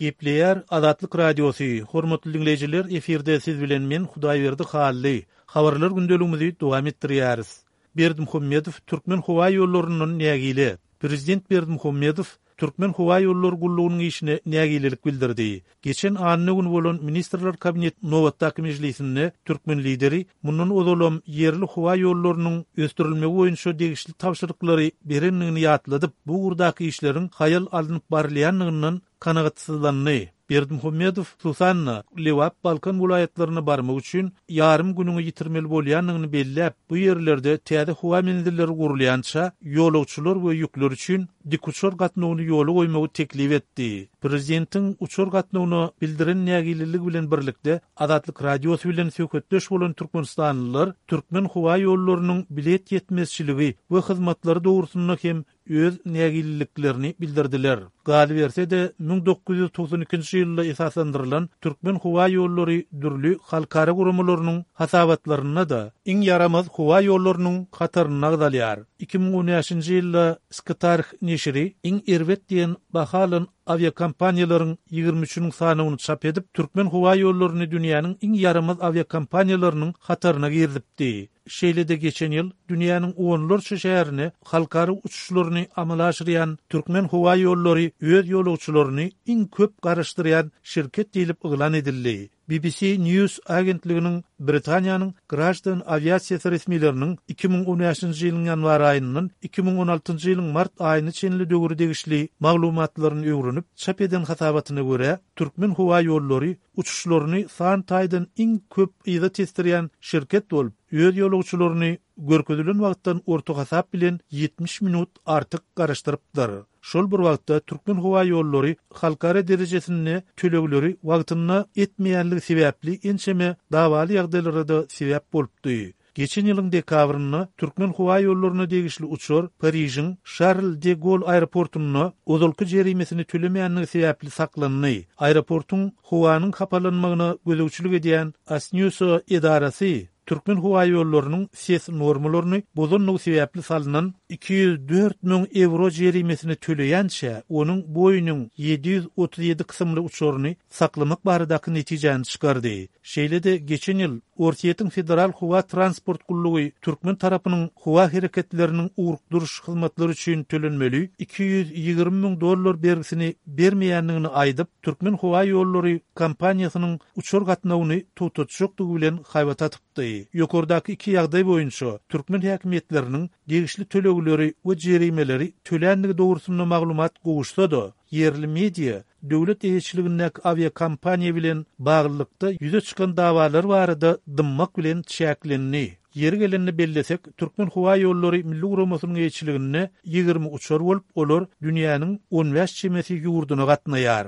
Gepleýär Azatlyk Radiosy, Hormatly diňleýjiler, efirde siz bilen men Hudaýberdi Hally. Habarlar gündeligimizi dowam etdirýäris. Berdimuhamedow Türkmenhowaýollaryndan nägile. Prezident Berdimuhamedow Türkmenhowaýollary gullugynyň işine nägilelik bildirdi. Geçen anna güni bolan Ministrler Kabinetiniň nobatdaky mejlisinde türkmen Lideri mundan ozalam ýerli howa ýollarynyň ösdürilmegi boýunça degişli tabşyryklary berendigini ýatladyp, bu ugurdaky işleriň haýal alnyp barylýandygyndan kanagatsyzlandy. Berdimuhamedow, hususan-da, Lebap, Balkan welaýatlaryna barmak üçin ýarym günüňi ýitirmeli bolýandygyny belläp, bu ýerlerde täze howa menzilleri gurulýança, ýolagçylar we ýükler üçin dikuçar gatnawyny ýola goýmagy teklip etdi. Prezidentiň uçar gatnawyna bildiren nägileligi bilen birlikde, Azatlyk Radiosy bilen söhbetdeş bolan türkmenistanlylar Türkmenhowaýollarynyň bilet ýetmezçiligi we hyzmatlary dogrusynda hem öz nägileliklerini bildirdiler. Galyberse-de, 1992-nji ýylda esaslandyrylan Türkmenhowaýollary dürli halkara guramalarynyň hasabatlarynda-da iň ýaramaz howa ýollarynyň hatarynda agzalýar. 2015-nji ýylda Skytarh neşiri iň erbet diýen baha alan awiakompaniýalaryň ýigrimi üçüniň sanawyny çap edip, Türkmenhowaýollaryny dünýäniň iň ýaramaz awiakompaniýalarynyň hataryna girizipdi. Şeýle-de geçen ýyl dünýäniň onlarça şäherine halkara uçuşlaryny amala aşyrýan Türkmenhowaýollary öz ýolagçylaryny iň köp garaşdyrýan şirket diýlip yglan edildi. BBC News agentliginiň Britaniýanyň graždan awiasiýasy resmileriniň 2015-nji ýylyň ýanwar aýyndan 2016-njy ýylyň mart aýyna çenli döwre degişli maglumatlaryny öwrenip çap eden hasabatyna görä, Türkmenhowaýollary uçuşlaryny san taýdan iň köp yza tesdirýän şirket bolup, öz ýolagçylaryny görkezilen wagtdan orta hasap bilen 70 minut artyk garaşdyrypdyr. Şol bir wagtda, Türkmenhowaýollary halkara derejesinde tölegleri wagtynda etmeýänligi sebäpli ençeme dawaly ýagdaýlara-da sebäp bolupdy. Geçen ýylyň dekabrynda Türkmenhowaýollaryna degişli uçar Parižiň Şarl de Gol aeroportunda ozalky jerimesini tölemändigi sebäpli saklandy. Aeroportuň howanyň hapalanmagyna gözegçilik edýän ASNEWSA edarasy Türkmenhowaýollarynyň ses normalaryny bozandygy sebäpli salnan 204 müň ewro jerimesini töleýänçä, onuň Boeing 737 kysymly uçaryny saklamak baradaky netijäni çykardy. Şeýle-de geçen ýyl Orsýetiň Federal howa transport gullugy türkmen tarapynyň howa hereketleriniň ugrukdyryş hyzmatlary üçin tölenmeli 220 müň dollar bergisini bermeýändigini aýdyp, Türkmenhowaýollary kompaniýasynyň uçar gatnawyny togtatjakdygy bilen haýbat atypdy. Ýokardaky iki ýagdaý boýunça türkmen häkimiýetleriniň degişli tölegleri we jerimeleri töländigi dogrusynda maglumat gowuşsa-da, ýerli media döwlet eýeçiligindäki awiakompaniýa bilen baglylykda ýüze çykan dawalar barada dymmak bilen çäklendi. Ýeri gelende bellesek, Türkmenhowaýollary milli guramasynyň eýeçiliginde 20 uçar bolup, olar dünýäniň on bäş çemesi ýurduna gatnaýar.